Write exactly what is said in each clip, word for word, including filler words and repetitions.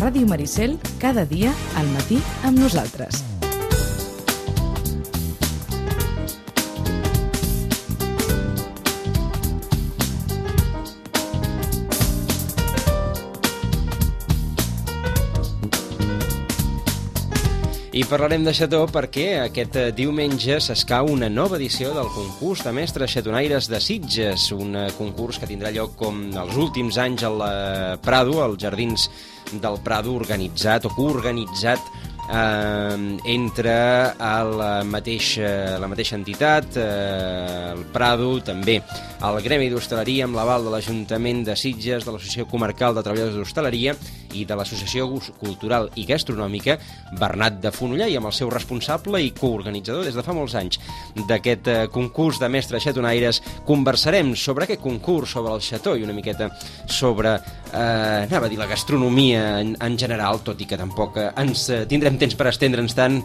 Ràdio Maricel, cada dia al matí amb nosaltres. I parlarem de xató perquè aquest diumenge s'escau una nova edició del concurs de mestres xatonaires de Sitges, un concurs que tindrà lloc com els últims anys al Prado, als Jardins del Prado, organitzat o coorganitzat eh, entre el mateix, la mateixa entitat, eh, el Prado, també el Gremi d'Hostaleria amb l'aval de l'Ajuntament de Sitges, de l'Associació Comarcal de Treballadors d'Hostaleria i de l'Associació Cultural i Gastronòmica Bernat de Fonollà, i amb el seu responsable i coorganitzador des de fa molts anys d'aquest eh, concurs de mestres xatonaires. Conversarem sobre aquest concurs, sobre el xató i una miqueta sobre, eh, anava a dir, la gastronomia en, en general, tot i que tampoc eh, ens eh, tindrem temps per estendre'ns tant.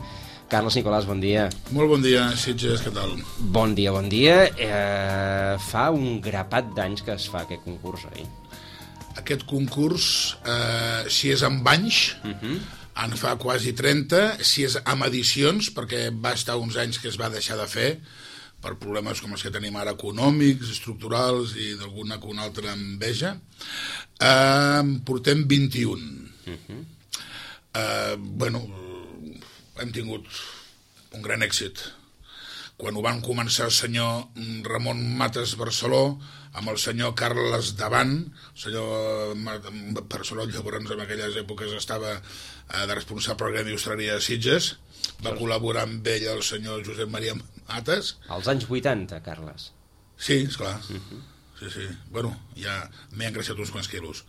Carles Nicolàs, bon dia. Molt bon dia, Sitges, què tal? Bon dia, bon dia. Eh, fa un grapat d'anys que es fa aquest concurs, oi? Aquest concurs, eh, si és amb anys, uh-huh. en fa quasi trenta, si és amb edicions, perquè va estar uns anys que es va deixar de fer, per problemes com els que tenim ara econòmics, estructurals i d'alguna que una altra enveja, eh, portem vint-i-un. Uh-huh. Eh, bueno, hem tingut un gran èxit. Quan ho van començar el senyor Ramon Mates Barceló, amb el senyor Carles Davant, el senyor Barceló llavors en aquelles èpoques estava de responsable del Gremi d'Hostaleria de Sitges, va col·laborar amb ell el senyor Josep Maria Mates. Als anys vuitanta, Carles. Sí, esclar. Uh-huh. Sí, sí. Bueno, ja m'he engreixat uns quants quilos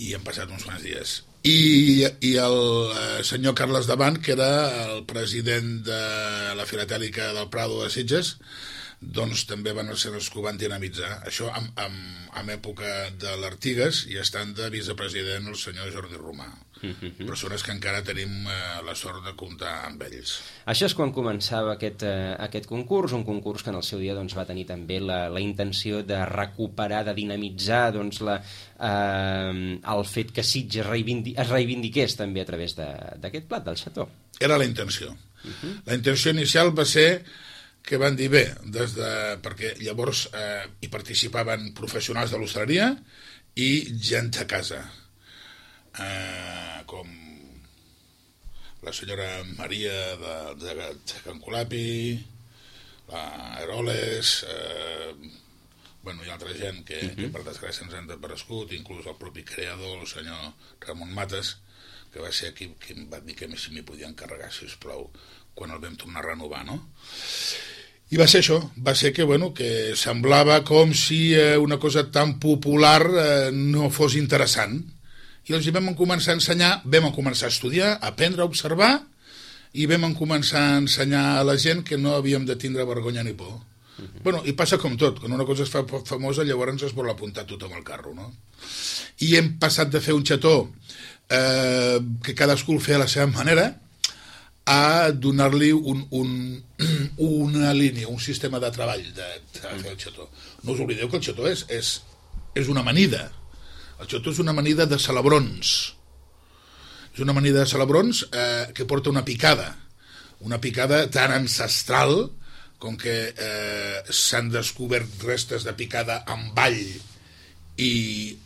i han passat uns quants dies. I, i el eh, senyor Carles Davant, que era el president de la Filatèlica del Prado de Sitges, doncs també van ser els que ho van dinamitzar. Això en, en, en època de l'Artigas, i estant de vicepresident el senyor Jordi Romà. Mm-hmm. Persones que encara tenim eh, la sort de comptar amb ells. Això és quan començava aquest, eh, aquest concurs, un concurs que en el seu dia doncs, va tenir també la, la intenció de recuperar, de dinamitzar doncs, la, eh, el fet que Sitges reivindi, es reivindiqués també a través d'aquest plat, del xató. Era la intenció. Mm-hmm. La intenció inicial va ser que van dir bé, des de, perquè llavors eh, hi participaven professionals de l'hostaleria i gent a casa, eh, com la senyora Maria de, de, de Can Colapi, la Heroles, eh, bueno, hi ha altra gent que, uh-huh. que per desgràcia ens han desaparegut, inclús el propi creador, el senyor Ramon Mates, que va ser qui, qui em va dir que si m'hi podia encarregar, sisplau, quan el vam tornar a renovar, no? I va ser això, va ser que, bueno, que semblava com si eh, una cosa tan popular eh, no fos interessant. I els hi vam començar a ensenyar, vam començar a estudiar, a aprendre, a observar, i vam començar a ensenyar a la gent que no havíem de tindre vergonya ni por. Uh-huh. Bueno, i passa com tot, quan una cosa es fa famosa, llavors es vol apuntar tothom al carro, no? I hem passat de fer un xató eh, que cadascú el feia a la seva manera, a donar-li un, un, una línia, un sistema de treball de, de fer el xató. No us oblideu que el xató és, és, és una amanida. El xató és una amanida de celebrons. És una amanida de celebrons eh, que porta una picada. Una picada tan ancestral com que eh, s'han descobert restes de picada amb all i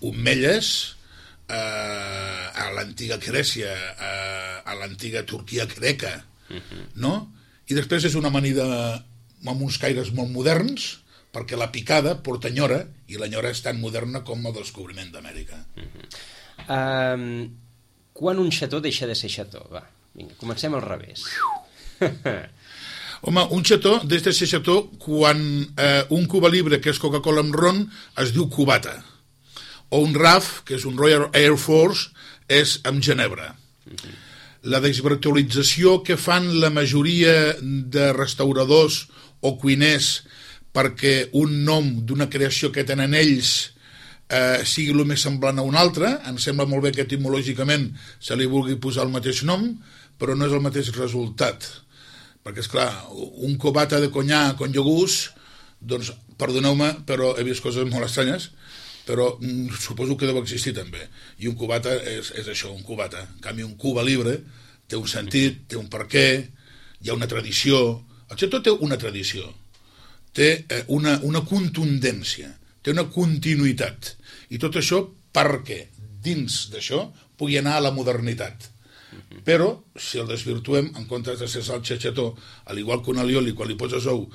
omelles eh, a l'antiga Grècia, eh, a l'antiga Turquia greca, uh-huh. no? I després és una amanida amb uns caires molt moderns, perquè la picada porta enyora, i l'enyora és tan moderna com el descobriment d'Amèrica. Uh-huh. um, quan un xató deixa de ser xató? Va, vinga, comencem al revés. Home, un xató deixa de ser xató quan eh, un Cuba Libre, que és Coca-Cola amb ron, es diu cubata. O un R A F, que és un Royal Air Force, és amb ginebra. Uh-huh. La desvirtualització que fan la majoria de restauradors o cuiners perquè un nom d'una creació que tenen ells eh, sigui el més semblant a un altre, em sembla molt bé que etimològicament se li vulgui posar el mateix nom, però no és el mateix resultat. Perquè, esclar, un cubata de conyà con iogús, doncs, perdoneu-me, però he vist coses molt estranyes, però mm, suposo que deu existir també. I un cubata és, és això, un cubata. En canvi, un Cuba Libre té un sentit, té un perquè, hi ha una tradició. El xató té una tradició, té eh, una, una contundència, té una continuïtat. I tot això perquè dins d'això pugui anar a la modernitat. Però, si el desvirtuem, en comptes de ser salsa xató, al igual que un alioli, quan li poses ou,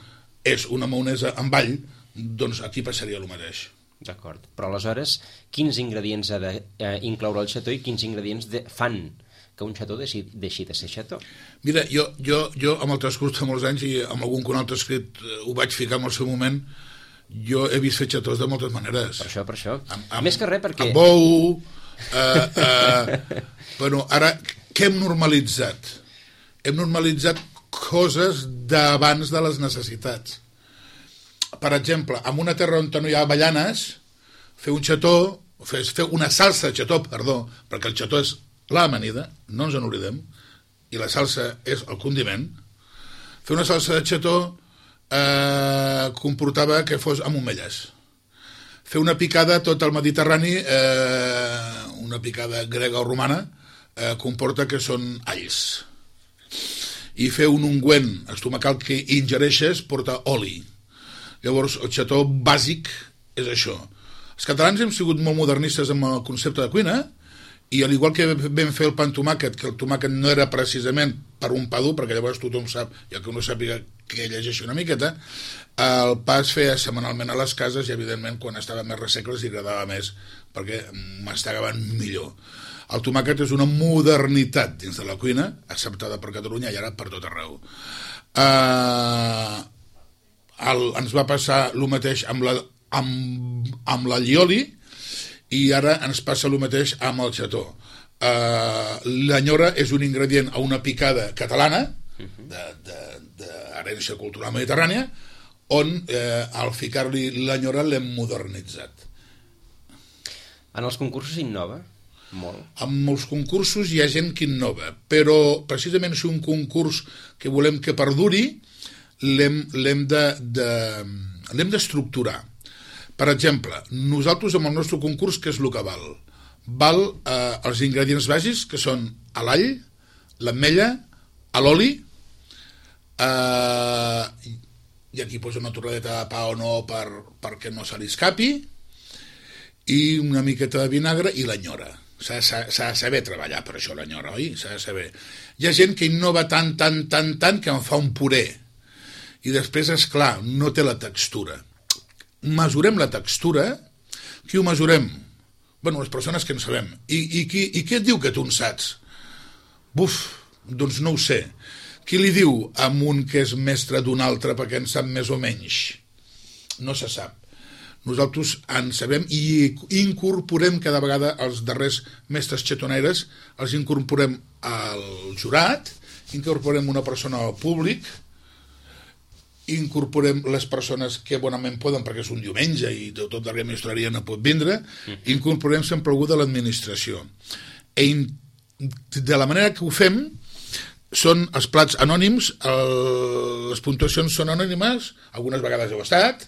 és una maonesa amb all, doncs aquí passaria el mateix. D'acord. Però aleshores, quins ingredients ha d'incloure el xató i quins ingredients de... fan que un xató deixi, deixi de ser xató? Mira, jo, jo, jo amb el transcurs de molts anys i amb algun que un altre escrit ho vaig ficar en el seu moment, jo he vist fer xatós de moltes maneres. Per això, per això. Amb, amb, Més que res perquè... Amb ou... Eh, eh, bueno, ara, què hem normalitzat? Hem normalitzat coses d'abans de les necessitats. Per exemple, en una terra on no hi ha avellanes, fer un xató, fer, fer una salsa de xató, perdó, perquè el xató és l'amanida, no ens en oblidem, i la salsa és el condiment. Fer una salsa de xató eh, comportava que fos amb omelles. Fer una picada tot el Mediterrani, eh, una picada grega o romana, eh, comporta que són alls. I fer un ungüent estomacal que ingereixes porta oli. Llavors, el xató bàsic és això. Els catalans hem sigut molt modernistes amb el concepte de cuina, i al igual que vam fer el pa amb tomàquet, que el tomàquet no era precisament per un pa dur, perquè llavors tothom sap, ja que no sàpiga que llegeixi una miqueta, el pa es feia setmanalment a les cases i evidentment quan estava més ressec els agradava més perquè mastegaven millor. El tomàquet és una modernitat dins de la cuina, acceptada per Catalunya i ara per tot arreu. Uh, el, ens va passar el mateix amb la, amb, amb l'allioli, i ara ens passa el mateix amb el xató. Uh, l'anyora és un ingredient a una picada catalana, d'herència cultural mediterrània, on eh, al ficar-li l'anyora l'hem modernitzat. En els concursos innova molt? En molts concursos hi ha gent que innova, però precisament si un concurs que volem que perduri, l'hem, l'hem de, de, l'hem d'estructurar. Per exemple, nosaltres amb el nostre concurs, què és el que val? Val eh, els ingredients bàsics, que són l'all, l'ametlla, l'oli, eh, i aquí posa una torradeta de pa o no per, perquè no se li escapi, i una miqueta de vinagre i l'anyora. S'ha, s'ha, s'ha de saber treballar per això, l'anyora, oi? S'ha de saber. Hi ha gent que innova tant, tant, tant, tant, que en fa un puré. I després, és clar, no té la textura. Mesurem la textura. Qui ho mesurem? Bueno, les persones que en sabem. I, i, qui, i què et diu que tu en saps? Buf, doncs no ho sé. Qui li diu a un que és mestre d'un altre perquè en sap més o menys? No se sap. Nosaltres en sabem i incorporem cada vegada els darrers mestres xatoneres, els incorporem al jurat, incorporem una persona al públic, incorporem les persones que bonament poden perquè és un diumenge i tot la administraria no pot vindre, incorporem sempre algú de l'administració. I de la manera que ho fem són els plats anònims, el, les puntuacions són anònimes, algunes vegades heu estat,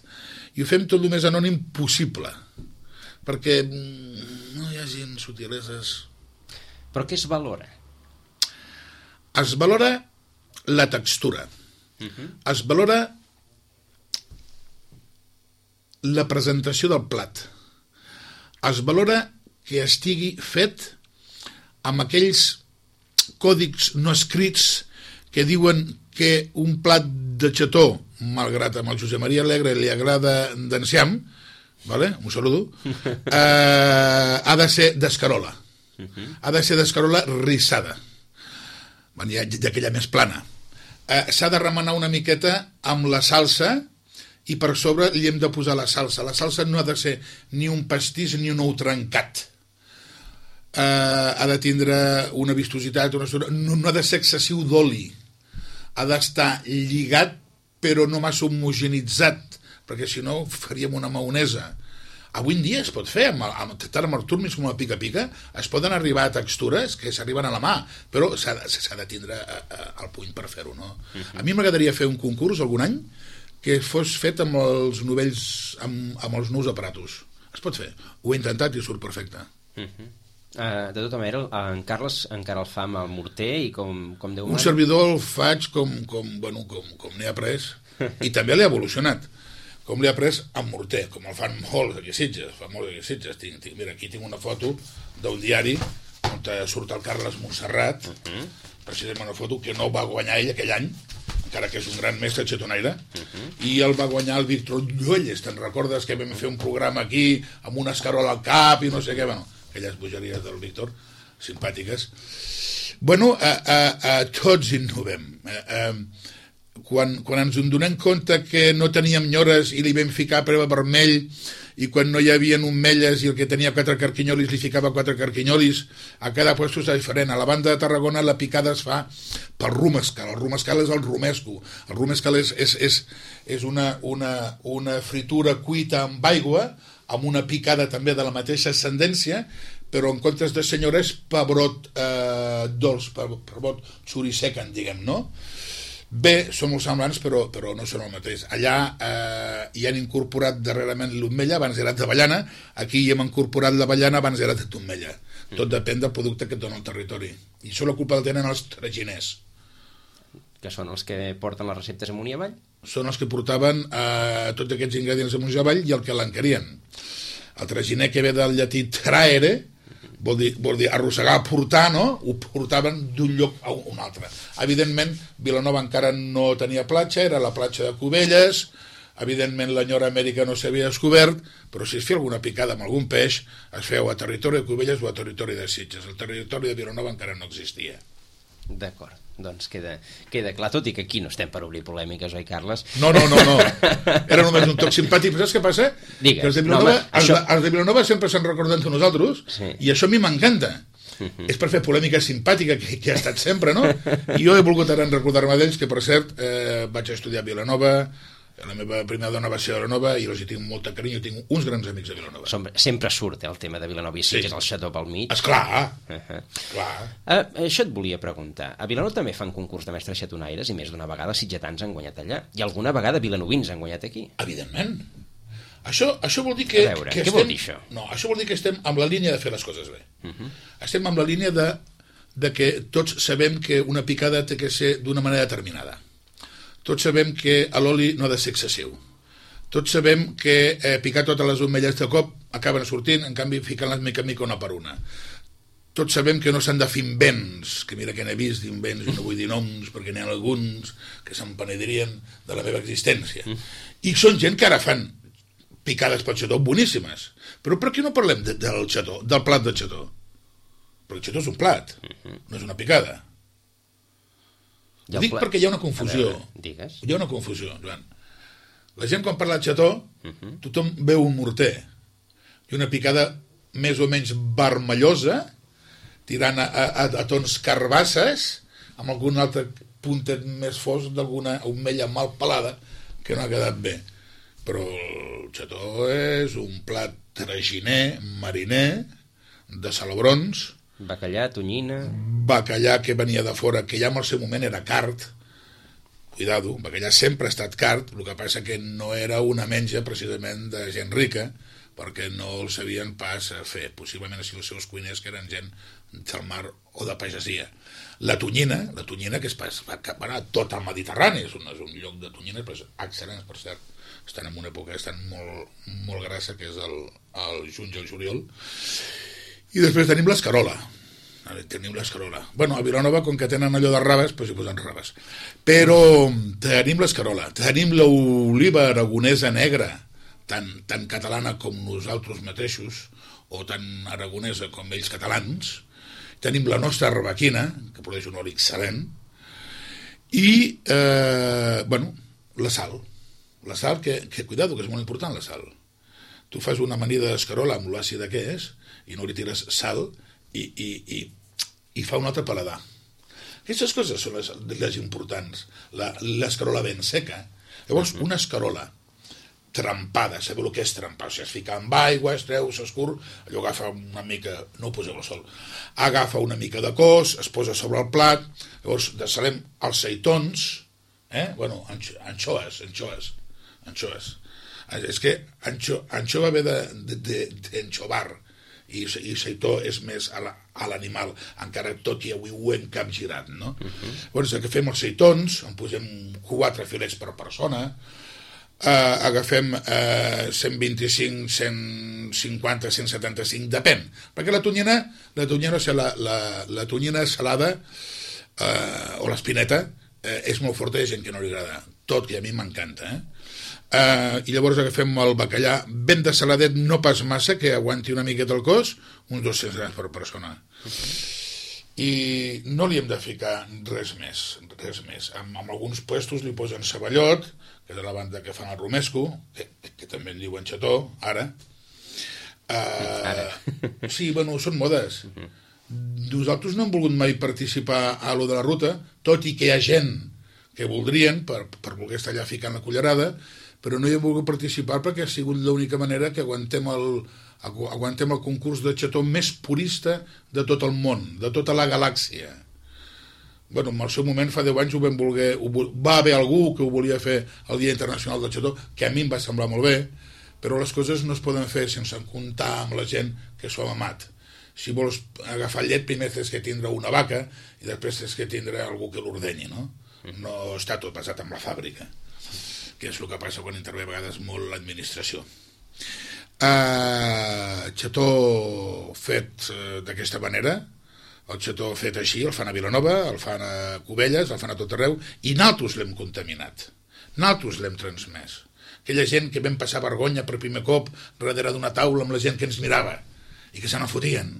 i ho fem tot el més anònim possible, perquè no hi hagi subtileses. Però què es valora? Es valora la textura. Uh-huh. Es valora la presentació del plat. Es valora que estigui fet amb aquells còdics no escrits que diuen que un plat de xató, malgrat amb el Josep Maria Alegre li agrada d'enciam, vale? Un saludo, eh, ha de ser d'escarola. Uh-huh. Ha de ser d'escarola rissada. Bueno, ja, d'aquella més plana. Eh, s'ha de remenar una miqueta amb la salsa i per sobre li hem de posar la salsa. La salsa no ha de ser ni un pastís ni un ou trencat. Eh, ha de tindre una vistositat, una... No, no ha de ser excessiu d'oli. Ha d'estar lligat però no massa homogenitzat, perquè si no faríem una maonesa. Avui en dia es pot fer, amb, amb, tant amb el turmis com amb el pica-pica, es poden arribar a textures que s'arriben a la mà, però s'ha de, s'ha de tindre a, a, al puny per fer-ho, no? Uh-huh. A mi m'agradaria fer un concurs algun any que fos fet amb els novells, amb, amb els nous aparatos, Es pot fer. Ho he intentat i surt perfecte. Uh-huh. Uh, de tota manera, en Carles encara el fa amb el morter i com, com Déu Un mana? servidor el faig com, com, bueno, com, com n'he après, i també l'he evolucionat. Com l'he après amb morter, com el fan molts aquí a Sitges. Fa molts aquí a Sitges. Tinc, tinc, mira, aquí tinc una foto d'un diari on surt el Carles Montserrat, uh-huh. precisament una foto que no va guanyar ell aquell any, encara que és un gran mestre xetonaire, uh-huh. i el va guanyar el Víctor Llolles. Te'n recordes que vam fer un programa aquí amb una escarola al cap i no sé què, bueno, aquelles bogeries del Víctor, simpàtiques. Bueno, a, a, a tots innovem. A, a, quan, quan ens en donem compte que no teníem nyores i li vam ficar preva vermell, i quan no hi havia omelles i el que tenia quatre carquinyolis li ficava quatre carquinyolis, a cada puesto és diferent. A la banda de Tarragona la picada es fa pel rumescal. El rumescal és el romesco. El rumescal és, és, és, és una, una, una fritura cuita amb aigua, amb una picada també de la mateixa ascendència, però en comptes de senyora és pebrot eh, dolç, pebrot xurisequen, diguem, no? Bé, són molt semblants, però, però no són el mateix. Allà eh, hi han incorporat darrerament l'omella, abans era d'avellana, aquí hi hem incorporat l'avellana, abans era d'omella. Tot depèn del producte que et dona el territori. I això la culpa la tenen els traginers. Que són els que porten les receptes amunt i avall? Són els que portaven eh, tots aquests ingredients amunt i avall i el que l'encarien. El traginer que ve del llatí traere, vol dir, vol dir arrossegar, portar, no? Ho portaven d'un lloc a un altre. Evidentment, Vilanova encara no tenia platja, era la platja de Cubelles, evidentment l'Enyora Amèrica no s'havia descobert, però si es feia alguna picada amb algun peix, es feu a territori de Cubelles o a territori de Sitges. El territori de Vilanova encara no existia. D'acord, doncs queda, queda clar, tot i que aquí no estem per obrir polèmiques, oi, Carles? No, no, no, no. Era només un toc simpàtic. Però saps què passa? Digues. Que els de Vilanova, no, home, els, això... de, els de Vilanova sempre s'han recordat de nosaltres, sí. I això a mi m'encanta. Uh-huh. És per fer polèmica simpàtica, que, que ha estat sempre, no? I jo he volgut ara recordar-me d'ells, que per cert eh, vaig estudiar a Vilanova, la meva primera dona va ser a Vilanova i els hi tinc molta carinyo, tinc uns grans amics a Vilanova. Som, sempre surt eh, el tema de Vilanova i Sitges, sí. El xató pel mig. Esclar, uh-huh. Clar. Uh, això et volia preguntar. A Vilanova també fan concurs de mestres xatonaires i més d'una vegada sitgetans han guanyat allà. I alguna vegada vilanovins han guanyat aquí. Evidentment. Això, això vol dir que... A veure, que què estem, vol dir això? No, això vol dir que estem amb la línia de fer les coses bé. Uh-huh. Estem amb la línia de, de que tots sabem que una picada té que ser d'una manera determinada. Tots sabem que l'oli no ha de ser excessiu. Tots sabem que eh, picar totes les omelles de cop acaben sortint, en canvi ficant-les mica en mica una per una. Tots sabem que no s'han de fer invents, que mira que n'he vist d'invents, i no vull dir noms, perquè n'hi ha alguns que se'n penedirien de la meva existència. I són gent que ara fan picades pel xató boníssimes. Però per què no parlem de, del xató, del plat de xató? Perquè el xató és un plat, no és una picada. Ho dic perquè hi ha una confusió. Digues. Hi ha una confusió, Joan. La gent quan parla de xató, uh-huh. tothom veu un morter i una picada més o menys vermellosa, tirant a, a, a tons carbasses, amb algun altre puntet més fosc d'alguna omella mal pelada que no ha quedat bé. Però el xató és un plat traginer, mariner, de salabrons, bacallà, tonyina... Bacallà que venia de fora, que ja en el seu moment era cart. Cuidado, bacallà sempre ha estat cart, el que passa que no era una menja precisament de gent rica, perquè no el sabien pas fer, possiblement així els seus cuiners que eren gent del mar o de pagesia. La tonyina, la tonyina que es va cap a tot el Mediterrani, és un, és un lloc de tonyines, però excel·lents, per cert, estan en una època estan molt, molt grassa, que és el, el juny i el juliol. I després tenim l'escarola. Tenim l'escarola. Bueno, a Vilanova, com que tenen allò de raves, doncs hi posen raves. Però tenim l'escarola, tenim l'oliva aragonesa negra, tan, tan catalana com nosaltres mateixos, o tan aragonesa com ells catalans. Tenim la nostra arbequina, que produeix un oli excel·lent, i, eh, bueno, la sal. La sal, que, que, cuidado, que és molt important, la sal. Tu fas una amanida d'escarola amb l'àcida que és, i no li tires sal, i, i, i, i fa un altre paladar. Aquestes coses són les, les importants. L'escarola ben seca. Llavors, una escarola trempada, sabeu el que és trempar? O sigui, es fica amb aigua, es treu, s'escur, allò agafa una mica, no ho poseu al sol, agafa una mica de cos, es posa sobre el plat, llavors desalem els seitons, eh? Bueno, anxoes, anxoes, anxoes. És que anxo, anxo va haver d'enxovar, i, i seitó és més a l'animal, la, encara tot i avui ho hem capgirat, no? Uh-huh. Llavors agafem els seitons, en posem quatre filets per persona, uh, agafem uh, cent vint-i-cinc, cent cinquanta, cent setanta-cinc, depèn, perquè la tonyina, la tonyina, o sigui, la, la, la tonyina salada uh, o l'espineta uh, és molt forta, hi ha gent que no li agrada, tot, i a mi m'encanta, eh? Uh, i llavors agafem el bacallà ben de saladet, no pas massa, que aguanti una miqueta el cos, uns dos-cents grams per persona. Uh-huh. I no li hem de ficar res més, res més. En, en alguns puestos li posen ceballot, que és de la banda que fan el romesco, que, que també en diuen xató, ara. Uh, ara. Sí, bueno, són modes. Uh-huh. Nosaltres no hem volgut mai participar a lo de la ruta, tot i que hi ha gent que voldrien, per, per voler estar allà ficant la cullerada, però no hi hem volgut participar perquè ha sigut l'única manera que aguantem el, aguantem el concurs de xató més purista de tot el món, de tota la galàxia. Bueno, en el seu moment, fa deu anys, ho vam voler, ho, va haver algú que ho volia fer el Dia Internacional del Xató, que a mi em va semblar molt bé, però les coses no es poden fer sense comptar amb la gent que s'ho ha amat. Si vols agafar llet, primer tens que tindre una vaca i després tens que tindre algú que l'ordenyi, no? No està tot basat en la fàbrica, que és el que passa quan intervé a vegades molt l'administració. Uh, xató fet uh, d'aquesta manera, el xató fet així, el fan a Vilanova, el fan a Cubelles, el fan a tot arreu, i nosaltres l'hem contaminat, nosaltres l'hem transmès. Aquella gent que vam passar vergonya per primer cop darrere d'una taula amb la gent que ens mirava i que se n'afotien,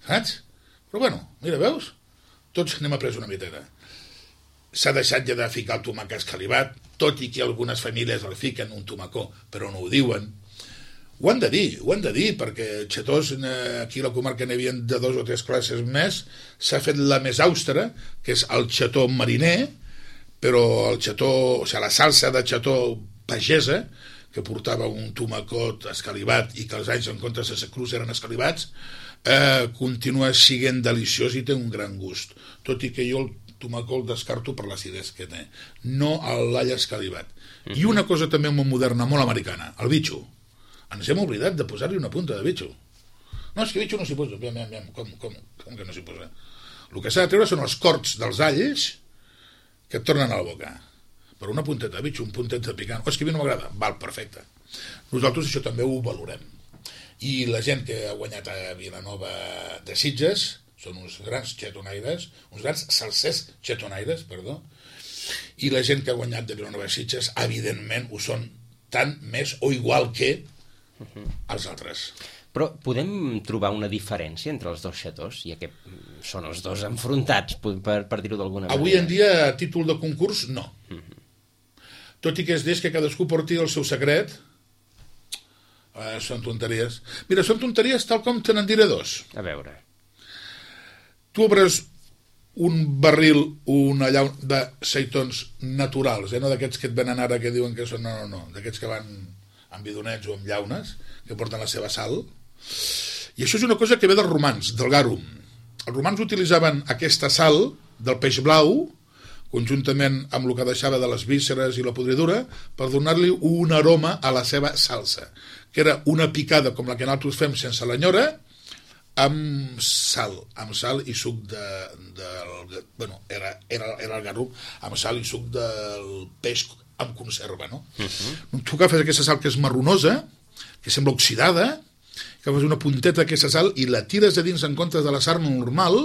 saps? Però bueno, mira, veus? Tots n'hem après una miteta. S'ha deixat ja de ficar el tomàquet escalivat, tot i que algunes famílies el fiquen un tomacó, però no ho diuen. Ho han de dir, ho han de dir, perquè xatós, aquí a la comarca n'hi havia de dos o tres classes més, s'ha fet la més àustera, que és el xató mariner, però el xató, o sigui, la salsa de xató pagesa, que portava un tomacot escalivat i que els anys en comptes de ser crus eren escalivats, eh, continua sent deliciós i té un gran gust, tot i que jo el tomacó el descarto per l'acidesa que té, no l'all escalivat. Uh-huh. I una cosa també molt moderna, molt americana, el bitxo. Ens hem oblidat de posar-li una punta de bitxo. No, és que bitxo no s'hi posa. Aviam, aviam, com, com, com que no s'hi posa? El que s'ha de treure són els corts dels alls que et tornen a la boca. Per una punteta de bitxo, un puntet de picant. Oh, és que a mi no m'agrada. Val, perfecte. Nosaltres això també ho valorem. I la gent que ha guanyat a Vilanova de Sitges són uns grans xatonaires, uns grans salsers xatonaires, perdó, i la gent que ha guanyat de Vilanova de Sitges, evidentment, ho són tant més o igual que els altres. Però podem trobar una diferència entre els dos xatós, ja que són els dos enfrontats, per, per dir-ho d'alguna manera? Avui en dia, a títol de concurs, no. Uh-huh. Tot i que es deix que cadascú porti el seu secret, eh, són tonteries. Mira, són tonteries tal com te n'en diré dos. A veure... Tu obres un barril, una llauna de seitons naturals, eh? No d'aquests que et venen ara que diuen que són... No, no, no, d'aquests que van amb bidonets o amb llaunes, que porten la seva sal. I això és una cosa que ve dels romans, del garum. Els romans utilitzaven aquesta sal del peix blau, conjuntament amb el que deixava de les vísceres i la podridura, per donar-li un aroma a la seva salsa, que era una picada com la que nosaltres fem sense l'enyora, amb sal, amb sal i suc de, de bueno, era, era, era el garum, amb sal i suc del peix amb conserva, no? Uh-huh. Tu agafes aquesta sal que és marronosa, que sembla oxidada, agafes una punteta d'aquesta sal i la tires a dins en comptes de la sal normal,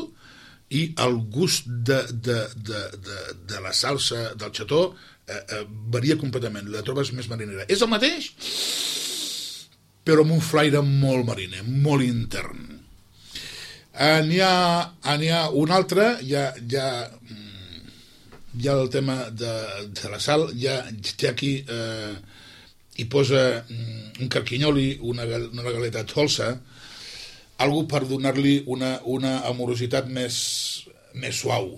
i el gust de, de, de, de, de la salsa del xató eh, eh, varia completament, la trobes més marinera. És el mateix, però amb un flaire molt mariner, molt intern. Uh, n'hi ha, n'hi ha un altre, ja, ja, ja el tema de, de la sal, ja té aquí, eh, hi posa un carquinyoli, una, una galeta dolça, algú per donar-li una, una amorositat més, més suau.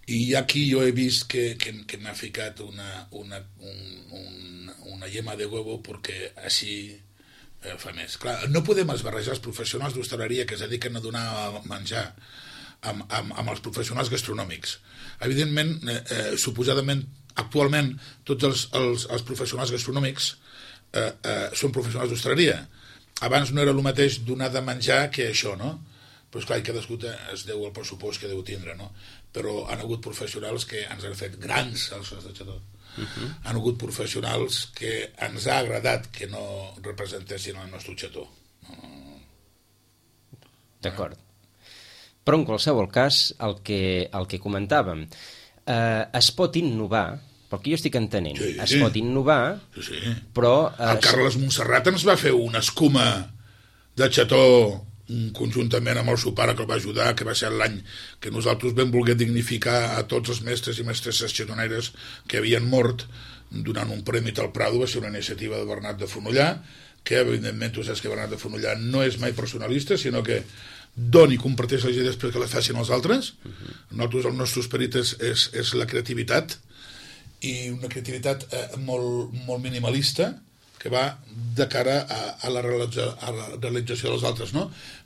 I aquí jo he vist que, que, que m'ha ficat una, una, un, un, una yema de huevo perquè així eh, fa més. Clar, no podem esbarrejar els professionals d'hostaleria que es dediquen a donar a menjar amb, amb, amb els professionals gastronòmics. Evidentment, eh, eh, suposadament actualment tots els, els, els professionals gastronòmics eh, eh, són professionals d'hostaleria. Abans no era el mateix donar de menjar que això, no? Però esclar, cadascú es deu el pressupost que deu tindre, no? Però han hagut professionals que ens han fet grans salses de xató. Uh -huh. Han hagut professionals que ens ha agradat que no representessin el nostre xató. No. D'acord. Però en qualsevol cas, el que, el que comentàvem, eh, es pot innovar, pel que jo estic entenent, sí, es pot innovar, sí, sí. però... Eh, el Carles Montserrat ens va fer una escuma de xató conjuntament amb el seu pare que el va ajudar, que va ser l'any que nosaltres vam voler dignificar a tots els mestres i mestresses xatonaires que havien mort, donant un premi al Prado. Va ser una iniciativa de Bernat de Fonollà, que evidentment tu saps que Bernat de Fonollà no és mai personalista, sinó que doni i comparteix les idees perquè les facin els altres. Uh-huh. Nosaltres, el nostre esperit és, és, és la creativitat, i una creativitat eh, molt, molt minimalista, que va de cara a, a, la, realitza, a la realització dels altres, no?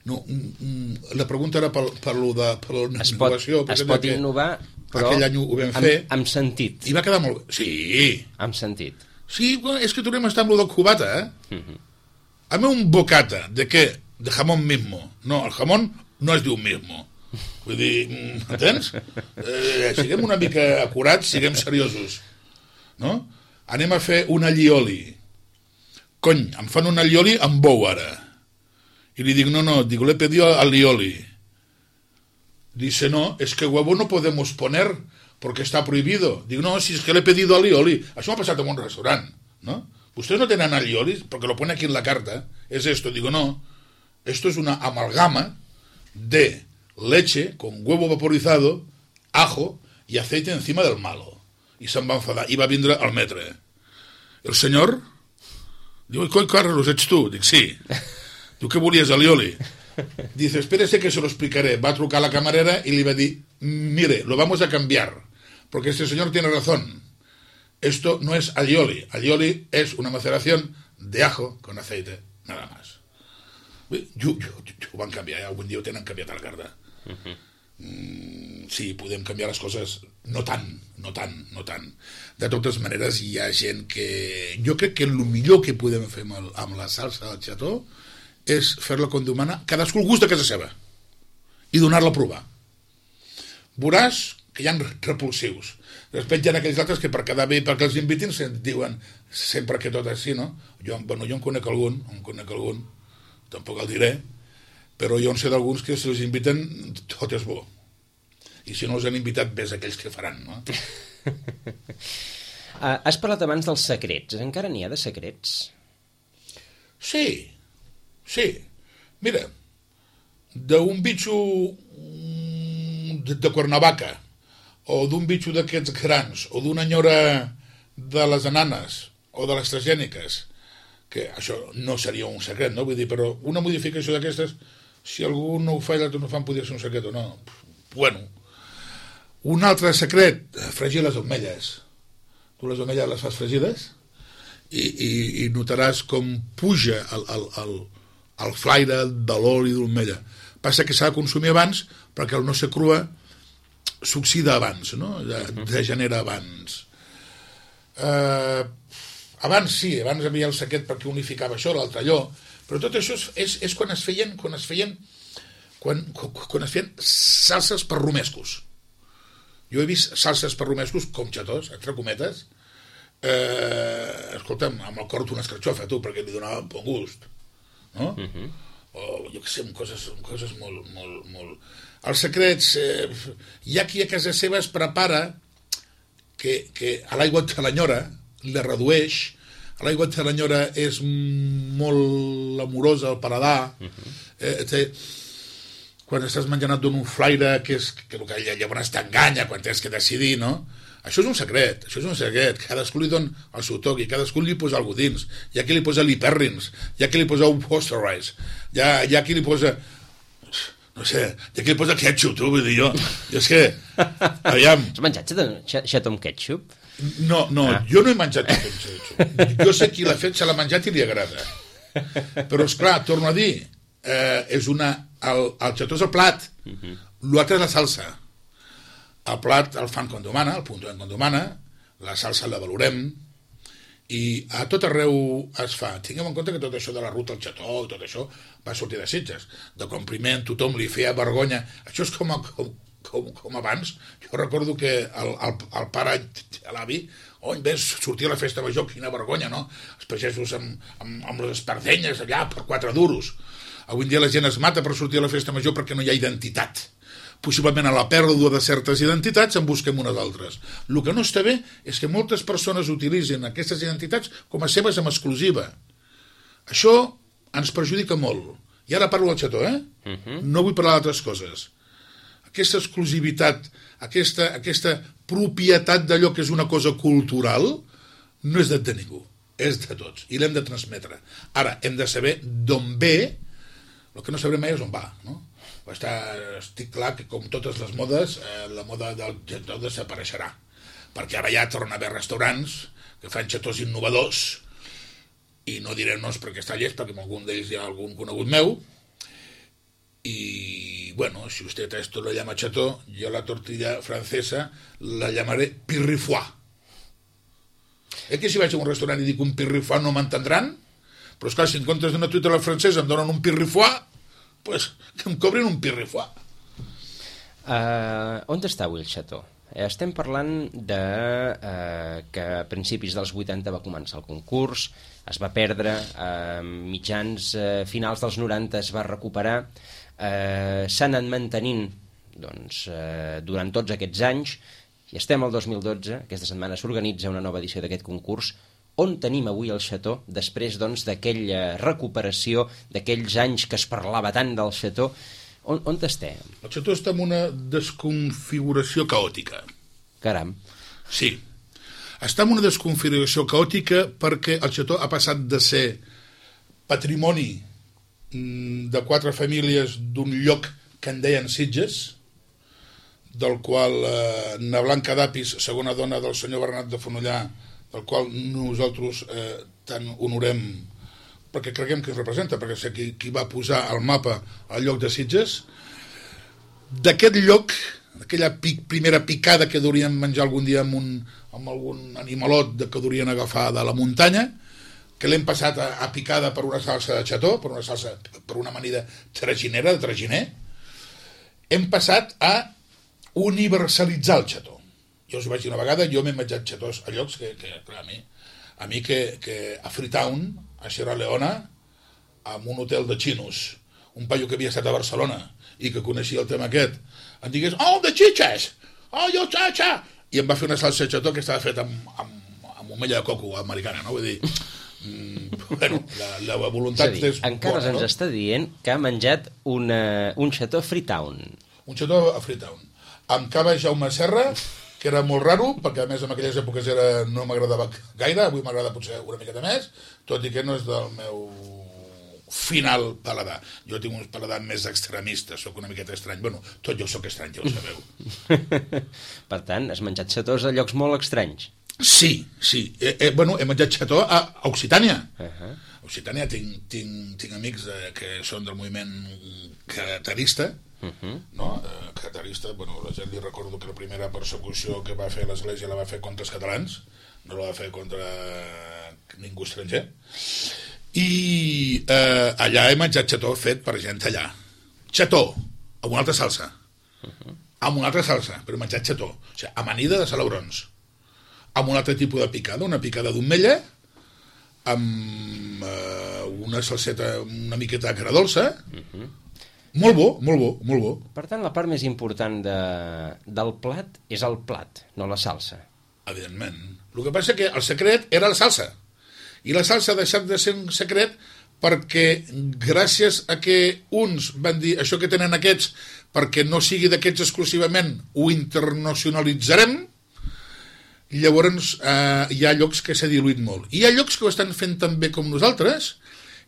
no mm, la pregunta era per, per lo de per la es innovació. Pot, es pot innovar, però aquell any ho vam fer. Amb, amb sentit. I va quedar molt bé. Sí. Amb sentit. Sí, bueno, és que tornem a estar amb lo del cubata, eh? Uh-huh. A mi un bocata, ¿de què? De jamón mismo. No, el jamón no es diu mismo. Vull dir, entens? Eh, siguem una mica acurats, siguem seriosos. No? Anem a fer un allioli. Cony, em fan un allioli amb bou ara. Y le digo, no, no, digo, le he pedido allioli. Dice, no, es que huevo no podemos poner porque está prohibido. Digo, no, si es que le he pedido allioli. Això m'ha passat en un restaurant, ¿no? Ustedes no tienen allioli porque lo pone aquí en la carta. Es esto. Digo, no, esto es una amalgama de leche con huevo vaporizado, ajo y aceite encima del malo. I se'n va enfadar. I va vindre al metre. El senyor diu, coi, Carlos, ets tu? Dic, sí. Diu, què volies, allioli? Dice, espérese que se lo explicaré. Va a trucar a la camarera y le va a decir, mire, lo vamos a cambiar, porque este señor tiene razón. Esto no es allioli. Allioli es una maceración de ajo con aceite, nada más. Jo, jo, jo, ho van canviar, eh? Algun dia ho tenen canviat a la carta. Uh-huh. Mm, sí, podem canviar les coses, no tant, no tant, no tant. De totes maneres, hi ha gent que... Jo crec que el millor que podem fer amb, el, amb la salsa del xató és fer-la com demana, cadascú el gust de casa seva, i donar-la a provar. Veuràs que hi ha repulsius. Després hi ha aquells altres que per quedar bé, perquè els invitin, diuen sempre que tot és així, no? Jo, bueno, jo en conec algun, en conec algun, tampoc el diré, però jo en sé d'alguns que si els inviten tot és bo. I si no els han invitat, ves aquells que faran, no? uh, has parlat abans dels secrets. Encara n'hi ha de secrets? Sí, sí. Mira, d'un bitxo de, de Cuernavaca, o d'un bitxo d'aquests grans, o d'una nyora de les ananes, o de les transgèniques, que això no seria un secret, no? Vull dir, però una modificació d'aquestes, si algú no ho fa i l'altre no ho fan, podria ser un secret o no. Bueno, un altre secret, fregir les ametlles. Tu les ametlles les fas fregides i, i, i notaràs com puja el, el, el, el flaire de l'oli d'omella. Passa que s'ha de consumir abans perquè el no ser crua s'oxida abans, no? Degenera abans. Eh... Abans sí, abans hi havia el secret perquè unificava això, l'altre allò, però tot això és, és, és quan es feien quan es feien quan, quan es feien salses per romescos. Jo he vist salses per romescos com xatós, entre cometes, eh, escolta'm, amb el cor d'una escarxofa, tu, perquè li donava un bon gust, no? Uh-huh. O jo què sé, coses, coses molt, molt, molt... Els secrets, eh, hi ha qui a casa seva es prepara que, que a l'aigua de l'enyora la redueix, l'aigua de l'enyora és molt amorosa al paladar, uh-huh. eh, té, quan estàs menjant et dona un flaire que és que, que llavors t'enganya quan tens que decidir, no? Això és un secret, això és un secret, cadascú li dona el seu toc i cadascú li posa alguna dins, hi ha qui li posa l'hiperrins, hi ha qui li posa un posterize, hi ha, hi ha qui li posa no sé, hi ha qui li posa ketchup, tu, vull dir jo, i és que aviam... Has menjat xató amb ketchup? No, no, ah. jo no he menjat ketchup. Jo sé qui l'ha fet, se l'ha menjat i li agrada. Però, esclar, torno a dir, eh, és una... El, el xató és el plat, uh-huh. l'altre és la salsa. El plat el fan com demana, el punt com demana, la salsa la valorem, i a tot arreu es fa. Tinguem en compte que tot això de la ruta al Xató i tot això va sortir de Sitges. De compliment, tothom li feia vergonya. Això és com, a, com, com, com abans. Jo recordo que el, el, el pare, l'avi, oh, ves, sortia a la festa major, quina vergonya, no? Els pagesos amb, amb, amb les espardenyes allà per quatre duros. Avui en dia la gent es mata per sortir a la festa major perquè no hi ha identitat. Possiblement a la pèrdua de certes identitats en busquem unes altres. El que no està bé és que moltes persones utilitzen aquestes identitats com a seves en exclusiva. Això ens perjudica molt. I ara parlo del Xató, eh? Uh-huh. No vull parlar d'altres coses. Aquesta exclusivitat, aquesta, aquesta propietat d'allò que és una cosa cultural, no és de ningú, és de tots, i l'hem de transmetre. Ara, hem de saber d'on ve, el que no sabrem mai és on va, no? Està, estic clar que com totes les modes, eh, la moda del xató desapareixerà, perquè ara ja torna a haver restaurants que fan xatós innovadors, i no diré noms perquè està llest, perquè amb algun d'ells hi ha algun conegut meu, i bueno, si usted a esto lo llama xató, yo la tortilla francesa la llamaré pirrifoie. Eh que si vaig a un restaurant i dic un pirrifoie no m'entendran? Però esclar, si en comptes d'una truita a la francesa em donen un pirrifoie, pues, que em cobrin un pirrifoie. Uh, on està avui el Xató? Estem parlant de uh, que a principis dels vuitanta va començar el concurs, es va perdre, a uh, mitjans uh, finals dels noranta es va recuperar, uh, s'ha anat mantenint doncs, uh, durant tots aquests anys, i estem al dos mil dotze, aquesta setmana s'organitza una nova edició d'aquest concurs. On tenim avui el Xató, després doncs, d'aquella recuperació, d'aquells anys que es parlava tant del Xató? On, on estem? El Xató està en una desconfiguració caòtica. Caram. Sí. Està en una desconfiguració caòtica perquè el Xató ha passat de ser patrimoni de quatre famílies d'un lloc que en deien Sitges, del qual eh, Na Blanca d'Apis, segona dona del senyor Bernat de Fonollà, del qual nosaltres eh, tant honorem perquè creguem que es representa, perquè sé qui, qui va posar al mapa el lloc de Sitges. D'aquest lloc, aquella pic, primera picada que durien menjar algun dia amb, un, amb algun animalot de, que durien agafar de la muntanya, que l'hem passat a, a picada per una salsa de xató, per una salsa, per una amanida traginera, de traginer, hem passat a universalitzar el xató. Jo us ho vaig dir una vegada, jo m'he menjat xatós a llocs que, que clar, a mi, a mi que, que a Freetown, a Sierra Leona, amb un hotel de xinos, un paio que havia estat a Barcelona i que coneixia el tema aquest, em digués, oh, de xitxes! Oh, jo xatxa! I em va fer una salsa de xató que estava feta amb, amb, amb omella de coco americana, no? Vull dir, mm, bueno, la, la voluntat és, dir, és encara bona, ens no? està dient que ha menjat una, un xató a Freetown. Un xató a Freetown. Amb cava Jaume Serra, que era molt raro, perquè a més en aquelles èpoques era, no m'agradava gaire, avui m'agrada potser una miqueta més, tot i que no és del meu final paladar. Jo tinc un paladar més extremista, sóc una miqueta estrany. Bueno, tot jo sóc estrany, ja ho sabeu. Per tant, has menjat xatós a llocs molt estranys. Sí, sí. Eh, eh, bueno, he menjat xató a Occitània. Uh-huh. A Occitània tinc, tinc, tinc amics eh, que són del moviment catarista, uh-huh. no? Eh, catarista, bueno, la gent li recordo que la primera persecució que va fer l'Església la va fer contra els catalans, no la va fer contra ningú estranger. I eh, allà he menjat xató fet per gent allà. Xató, amb una altra salsa. Uh-huh. Amb una altra salsa, però he menjat xató. O sigui, amanida de salabrons. Amb un altre tipus de picada, una picada d'omella, amb eh, una salseta una miqueta de cara dolça. Uh-huh. Molt bo, molt bo, molt bo. Per tant, la part més important de, del plat és el plat, no la salsa. Evidentment. El que passa és que el secret era la salsa. I la salsa ha deixat de ser un secret perquè gràcies a que uns van dir això que tenen aquests, perquè no sigui d'aquests exclusivament, ho internacionalitzarem, llavors eh, hi ha llocs que s'ha diluït molt. I hi ha llocs que ho estan fent tan bé com nosaltres,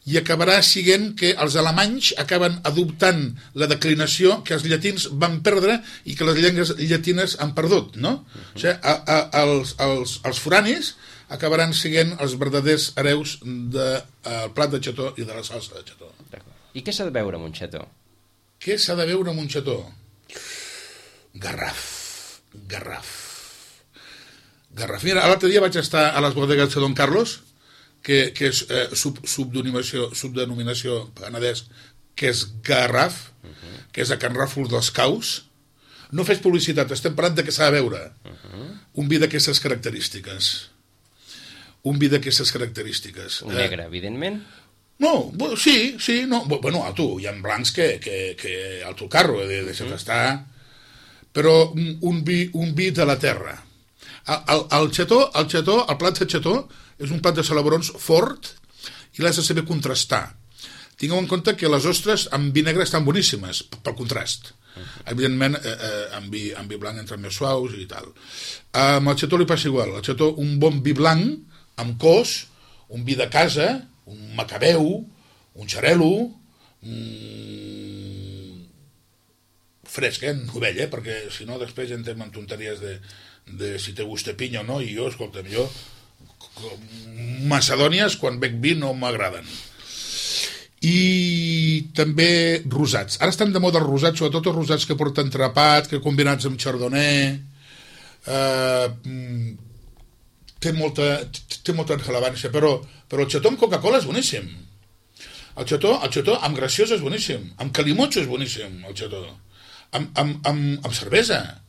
i acabarà sent que els alemanys acaben adoptant la declinació que els llatins van perdre i que les llengües llatines han perdut, no? Uh-huh. O sigui, a, a, els, els, els foranis acabaran sent els verdaders hereus del de, plat de xató i de la salsa de xató. I què s'ha de veure amb un xató? Què s'ha de veure amb un xató? Garraf, garraf. Garraf. Mira, l'altre dia vaig estar a les bodegues de Don Carlos, que, que és eh, sub, subdenominació, subdenominació penedès, que és Garraf, uh -huh. que és a Can Ràfol dels Caus. No fes publicitat, estem parlant de què s'ha de veure. Uh -huh. Un vi d'aquestes característiques. Un vi d'aquestes característiques. Un negre, eh, evidentment. No, sí, sí, no. Bueno, a tu, hi ha blancs que, que, que al teu carro, de, de uh-huh. estar... Però un, un, vi, un vi de la terra. El, el, el xató, el xató, el plat de xató és un plat de celebrons fort i l'has de saber contrastar. Tingueu en compte que les ostres amb vi negre estan boníssimes, pel contrast. Uh-huh. Evidentment, eh, eh, amb, vi, amb vi blanc entren més suaus i tal. Eh, amb el xató li passa igual. El xató, un bon vi blanc, amb cos, un vi de casa, un macabeu, un xarelo, mm, fresc, eh, novell, eh, perquè si no després ja entrem en tonteries de, de si te gusta pinya o no, i jo, escolta'm, jo macedònies quan bec vi no m'agraden. I també rosats. Ara estan de moda els rosats, sobretot els rosats que porten trapat, que combinats amb chardonnay, eh, té molta, té molta rellevància, però, però el xató amb Coca-Cola és boníssim. El xató, el xató amb graciós és boníssim, amb calimotxo és boníssim, el xató. Amb, amb, amb, amb cervesa.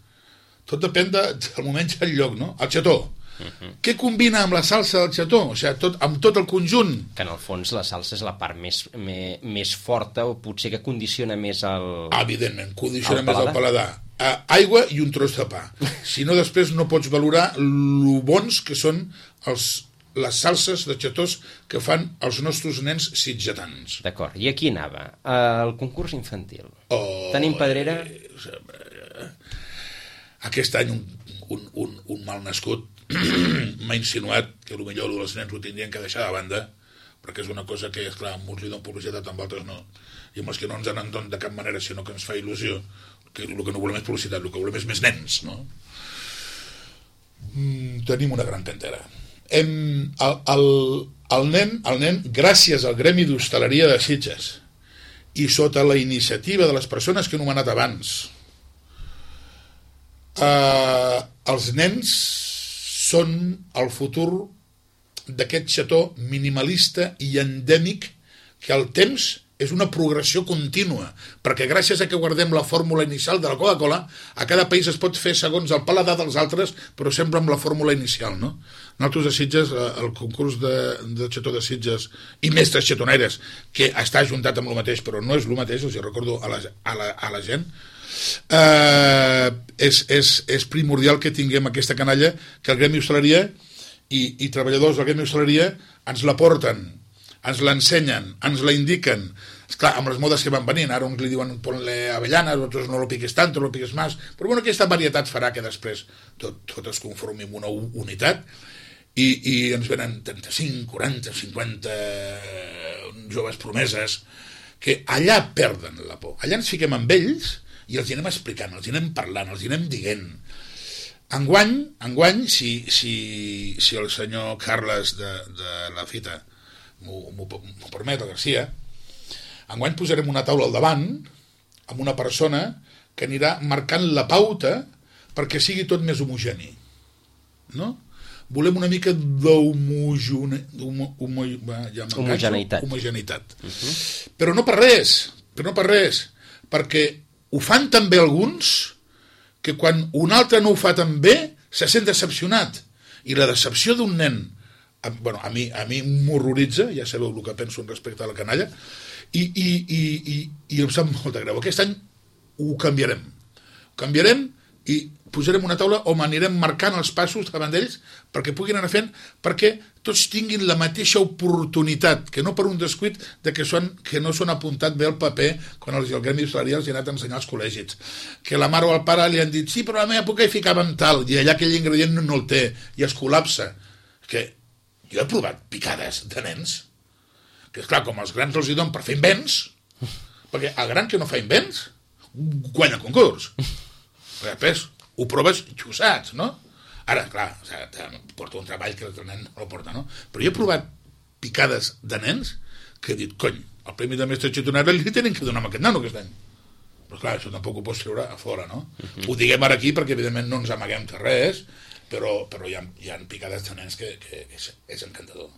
Tot depèn de, del moment i el lloc, no? El xató. Uh-huh. Què combina amb la salsa del xató? O sigui, tot, amb tot el conjunt. Que en el fons la salsa és la part més, més, més forta o potser que condiciona més el... Evidentment, condiciona el més el paladar. Uh, aigua i un tros de pa. Si no, després no pots valorar lo bons que són els, les salses de xatós que fan els nostres nens sitgetans. D'acord, i aquí anava. Uh, el concurs infantil. Oh, Tenim pedrera? Eh, aquest any un, un, un, un mal nascut m'ha insinuat que potser els nens ho tindrien que deixar de banda, perquè és una cosa que, esclar, amb uns li donen publicitat, amb altres no, i amb els que no ens en donen de cap manera, sinó que ens fa il·lusió, que el que no volem és publicitat, el que volem és més nens, no? Mm, tenim una gran cantera. Hem, el, el, el, nen, el nen, gràcies al Gremi d'Hostaleria de Sitges i sota la iniciativa de les persones que he anomenat abans, eh, els nens són el futur d'aquest xató minimalista i endèmic que al temps és una progressió contínua, perquè gràcies a que guardem la fórmula inicial de la Coca-Cola, a cada país es pot fer segons el paladar dels altres, però sempre amb la fórmula inicial, no? Nosaltres a Sitges, el concurs de, de xató de Sitges i mestres xatonaires, que està ajuntat amb el mateix, però no és el mateix, els recordo a la, a la, a la gent, eh, és, és, és primordial que tinguem aquesta canalla, que el Gremi Hostaleria i, i treballadors del Gremi Hostaleria ens la porten, ens l'ensenyen, ens la indiquen. Esclar, amb les modes que van venint, ara uns li diuen ponle avellanes, altres no lo piques tant, no lo piques més, però bueno, aquesta varietat farà que després tot, tot es conformi en una unitat i, i ens venen trenta-cinc, quaranta, cinquanta joves promeses que allà perden la por. Allà ens fiquem amb ells i els hi anem explicant, els hi anem parlant, els hi anem dient. Enguany, enguany si, si, si el senyor Carles de, de la fita m'ho permet, el Garcia, enguany posarem una taula al davant amb una persona que anirà marcant la pauta perquè sigui tot més homogeni, no? Volem una mica d'homogeneïtat homogeneïtat uh-huh. però no per res però no per res perquè ho fan tan bé alguns que quan un altre no ho fa tan bé se sent decepcionat, i la decepció d'un nen a, bueno, a mi, a mi m'horroritza, ja sabeu el que penso respecte a la canalla, i, i, i, i, i em sap molta greu. Aquest any ho canviarem ho canviarem i posarem una taula on anirem marcant els passos davant d'ells perquè puguin anar fent, perquè tots tinguin la mateixa oportunitat, que no per un descuit de que, són, que no s'han apuntat bé al paper quan els, el Gremi Hostaleria els hi ha anat a ensenyar als col·legis, que la mare o el pare li han dit sí, però a la meva època hi ficàvem tal, i allà aquell ingredient no, no el té, i es col·lapsa. Que jo he provat picades de nens, que esclar, com els grans els hi donen per fer invents, perquè el gran que no fa invents guanya el concurs. Perquè després ho proves i ho saps, no? Ara, clar, o sigui, porta un treball que el nen no el porta, no? Però jo he provat picades de nens que he dit, cony, el premi de mestre xitonera li tenen que donar a aquest nano aquest any. Però clar, això tampoc ho pots treure a fora, no? Uh-huh. Ho diguem ara aquí perquè evidentment no ens amaguem de res però, però hi, ha, hi ha picades de nens que, que és, és encantador.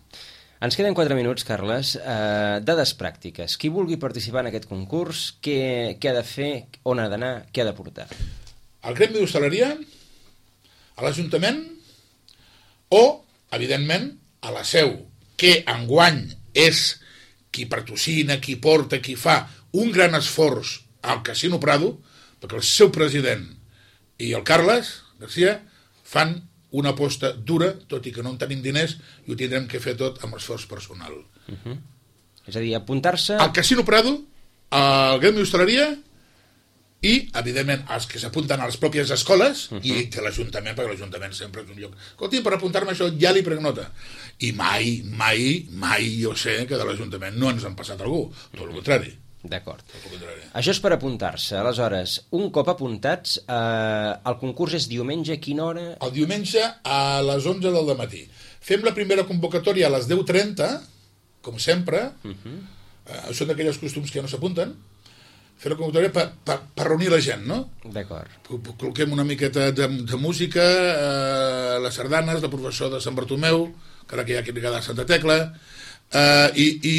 Ens queden quatre minuts, Carles. Uh, dades pràctiques. Qui vulgui participar en aquest concurs, què, què ha de fer, on ha d'anar, què ha de portar? Al Gremi d'Hostaleria, a l'Ajuntament o, evidentment, a la Seu, que enguany és qui patrocina, qui porta, qui fa un gran esforç al Casino Prado, perquè el seu president i el Carles Garcia fan una aposta dura, tot i que no en tenim diners, i ho tindrem que fer tot amb esforç personal. Uh-huh. És a dir, apuntar-se... Al Casino Prado, al Gremi d'Hostaleria i, evidentment, els que s'apunten a les pròpies escoles uh-huh. i que l'Ajuntament, perquè l'Ajuntament sempre és un lloc... Escolti, per apuntar-me això ja li prenc nota. I mai, mai, mai jo sé que de l'Ajuntament no ens han passat algú, tot el contrari. D'acord. Això és per apuntar-se. Aleshores, un cop apuntats, eh, el concurs és diumenge, a quina hora? El diumenge a les onze del matí. Fem la primera convocatòria a les deu trenta, com sempre. Uh-huh. eh, són d'aquelles costums que ja no s'apunten. Fer la convocatòria per, per, per reunir la gent, no? D'acord. Col·loquem una miqueta de, de música, eh, les sardanes, la professor de Sant Bartomeu, que ara que hi ha que li queda Santa Tecla, eh, i... i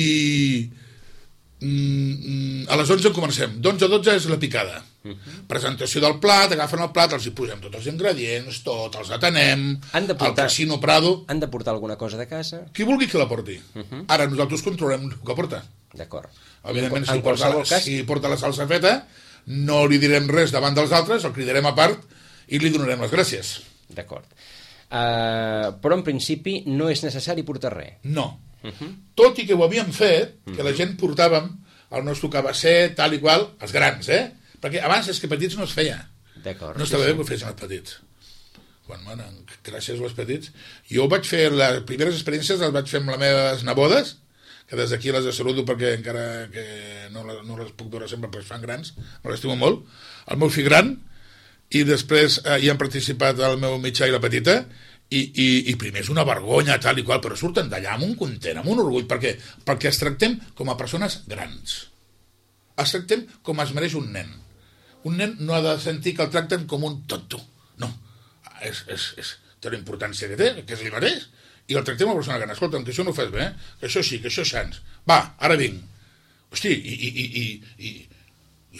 a les onze comencem. d'onze a dotze és la picada. Uh-huh. Presentació del plat, agafen el plat, els hi posem tots els ingredients, tot, els atenem, al Casino Prado. Han de portar alguna cosa de casa? Qui vulgui que la porti. Uh-huh. Ara nosaltres controlem el que porta. D'acord. Evidentment, si porta, cas... si porta la salsa feta, no li direm res davant dels altres, el cridarem a part i li donarem les gràcies. D'acord. Uh, però en principi no és necessari portar res. No. Uh-huh. Tot i que ho havíem fet, que uh-huh. la gent portàvem el nostre cabasser, tal i qual, els grans, eh? Perquè abans és que petits no es feia. D'acord. No estava sí, bé que ho fessin els petits. Quan, bueno, gràcies als petits. Jo vaig fer, les primeres experiències les vaig fer amb les meves nebodes, que des d'aquí les saludo perquè encara que no les, no les puc veure sempre perquè es fan grans, me l'estimo molt, el meu fill gran, i després eh, hi han participat el meu mitjà i la petita, I, i, i primer és una vergonya, tal i qual, però surten d'allà amb un content, amb un orgull, perquè, perquè es tractem com a persones grans. Es tractem com es mereix un nen. Un nen no ha de sentir que el tracten com un tonto. No. És, és, és, té la importància que té, que es li mereix, i el tractem com a persona gran. Escolta'm, que això no ho fas bé, eh? Que això sí, que això és sans. Va, ara vinc. Hosti, i, i, i, i, i,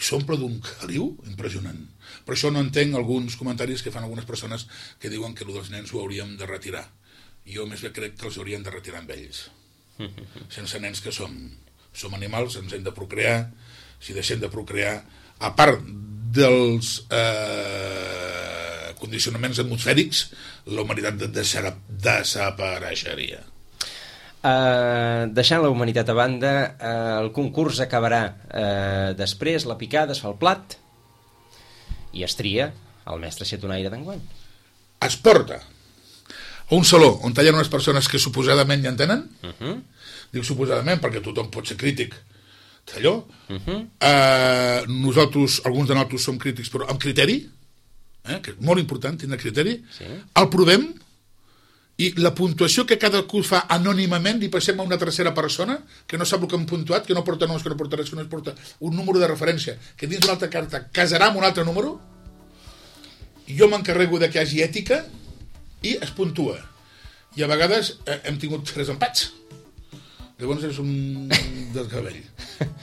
i s'omple d'un caliu impressionant. Per això no entenc alguns comentaris que fan algunes persones que diuen que el dels nens ho hauríem de retirar. Jo més bé crec que els hauríem de retirar amb ells. Sense nens que som. Som animals, ens hem de procrear. Si deixem de procrear, a part dels eh, condicionaments atmosfèrics, la humanitat desapareixeria. Uh, deixant la humanitat a banda, uh, el concurs acabarà uh, després, la picada, es fa el plat i es tria el mestre xetonaire d'enguany. Es porta a un saló on hi ha unes persones que suposadament hi entenen. Uh-huh. Dic suposadament perquè tothom pot ser crític d'allò. Uh-huh. eh, nosaltres, alguns de nosaltres som crítics però amb criteri, eh, que és molt important tindre criteri. Sí. El provem i la puntuació que cadascú fa anònimament li passem a una tercera persona que no sap el que hem puntuat, que no porta noms, que no porta res, que no es porta un número de referència, que dins d'una altra carta casarà amb un altre número. Jo m'encarrego de que hi hagi ètica i es puntua. I a vegades eh, hem tingut tres empats. Llavors és un desgavell.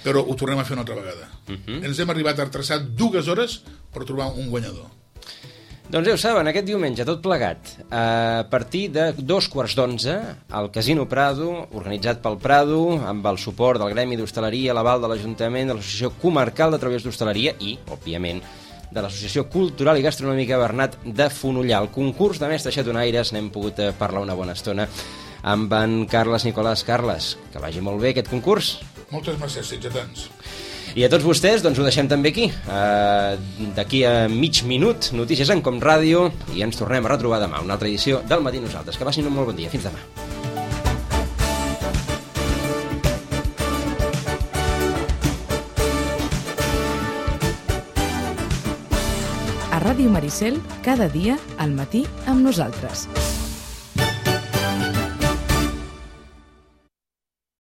Però ho tornem a fer una altra vegada. Uh-huh. Ens hem arribat a retrasar dues hores per trobar un guanyador. Doncs ja ho saben, aquest diumenge, tot plegat, a partir de dos quarts d'onze, al Casino Prado, organitzat pel Prado, amb el suport del Gremi d'Hostaleria, l'aval de l'Ajuntament, de l'Associació Comarcal de Treballadors d'Hostaleria i, òbviament, de l'Associació Cultural i Gastronòmica Bernat de Fonollar. El concurs de mestres xetonaires n'hem pogut parlar una bona estona amb en Carles Nicolàs. Carles, que vagi molt bé aquest concurs. Moltes gràcies, sitgetans. I a tots vostès, doncs ho deixem també aquí. Uh, D'aquí a mig minut, notícies en Com Ràdio, i ens tornem a retrobar demà, una altra edició del Matí Nosaltres. Que passin un molt bon dia. Fins demà. A Ràdio Maricel, cada dia al matí amb nosaltres.